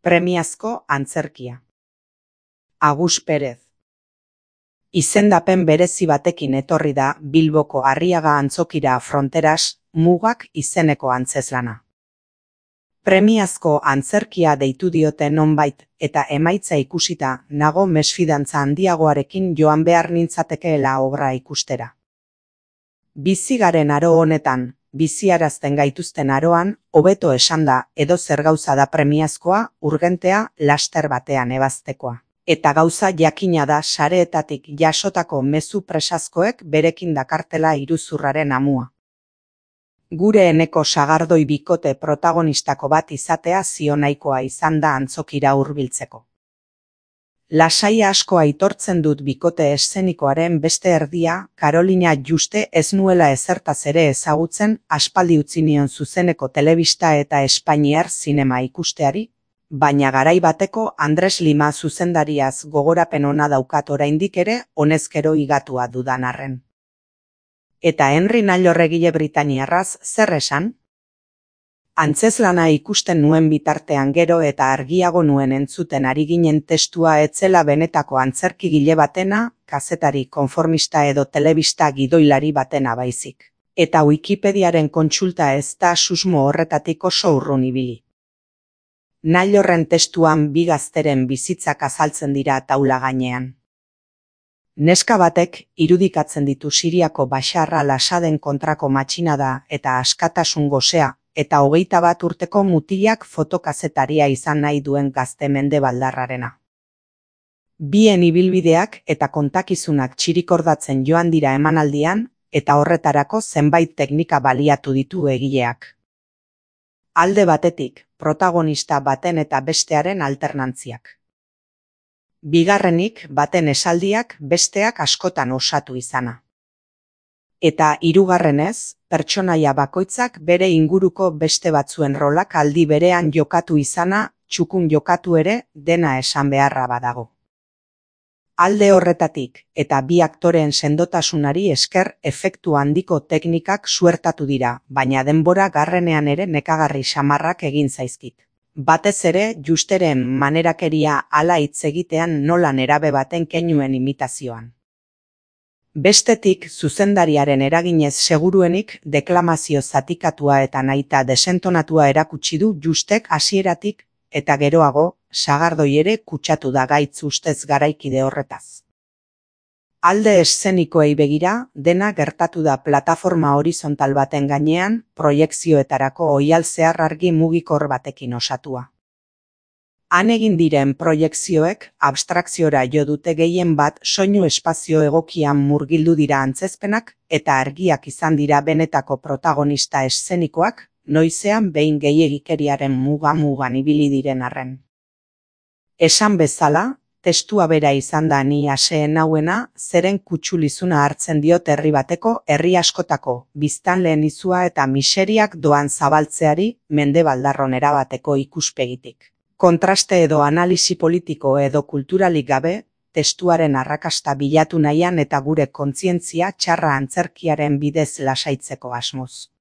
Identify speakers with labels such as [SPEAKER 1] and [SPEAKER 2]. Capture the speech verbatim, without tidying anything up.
[SPEAKER 1] Premiazko antzerkia. Agus Perez. Izendapen berezi batekin etorri da Bilboko Arriaga Antzokira Fronteras Mugak izeneko antzezlana. Premiazko antzerkia deitu diote nonbait eta emaitza ikusita nago mesfidantza handiagoarekin joan behar nintzatekeela obra ikustera. Bizi garen aro honetan, biziarazten gaituzten aroan, hobeto esanda edo zer gauza da premiazkoa, urgentea, laster batean ebaztekoa. Eta gauza jakina da sareetatik jasotako mezu presazkoek berekin dakartela iruzurraren amua. Gure eneko sagardoi bikote protagonistako bat izatea zionaikoa izan da antzokira hurbiltzeko. Lasai asko aitortzen dut bikote eszenikoaren beste erdia, Karolina Juste ez nuela ezertaz ere ezagutzen aspaldi utzi nion zuzeneko telebista eta espainiar zinema ikusteari, baina garai bateko Andres Lima zuzendariaz gogorapen ona daukat oraindik ere honezkero higatua dudan arren. Eta Henry Nailorregile Britaniarraz zer esan? Antzezlana ikusten nuen bitartean gero eta argiago nuen entzuten ari ginen testua etzela benetako antzerkigile batena, kazetari konformista edo telebista gidoilari batena baizik. Eta Wikipediaren kontsulta ez da susmo horretatik oso urrun ibili. Nailorren testuan bi gazteren bizitzak azaltzen dira taula gainean. Neska batek irudikatzen ditu Siriako Bashar al-Assaden kontrako matxinada eta askatasun gosea, eta hogeita bat urteko mutilak fotokazetaria izan nahi duen gazte mendebaldarrarena. Bien ibilbideak eta kontakizunak txirikordatzen joan dira emanaldian, eta horretarako zenbait teknika baliatu ditu egileak. Alde batetik, protagonista baten eta bestearen alternantziak. Bigarrenik, baten esaldiak besteak askotan osatu izana. Eta hirugarrenez, pertsonaia bakoitzak bere inguruko beste batzuen rolak aldi berean jokatu izana, txukun jokatu ere, dena esan beharra badago. Alde horretatik, eta bi aktoreen sendotasunari esker efektu handiko teknikak suertatu dira, baina denbora garrenean ere nekagarri samarrak egin zaizkit. Batez ere, Justeren manerakeria hala hitz egitean nola nerabe baten keinuen imitazioan. Bestetik, zuzendariaren eraginez seguruenik deklamazio zatikatua eta nahita desentonatua erakutsi du Justek hasieratik, eta geroago, sagardoi ere kutsatu da gaitz ustez garaikide horretaz. Alde eszenikoei begira, dena gertatu da plataforma horizontal baten gainean, proiekzioetarako oihal zehar argi mugikor batekin osatua. Han egin diren proiekzioek abstrakziora jo dute gehien bat soinu espazio egokian murgildu dira antzezpenak eta argiak izan dira benetako protagonista eszenikoak, noizean behin gehiegikeriaren muga-mugan ibili diren arren. Esan bezala, testua bera izan da ni aseen hauena, zeren kutxulizuna hartzen diot herri bateko, herri askotako, biztanleen izua eta miseriak doan zabaltzeari mendebaldarron erabateko ikuspegitik. Kontraste edo analisi politiko edo kulturalik gabe, testuaren arrakasta bilatu nahian eta gure kontzientzia txarra antzerkiaren bidez lasaitzeko asmoz.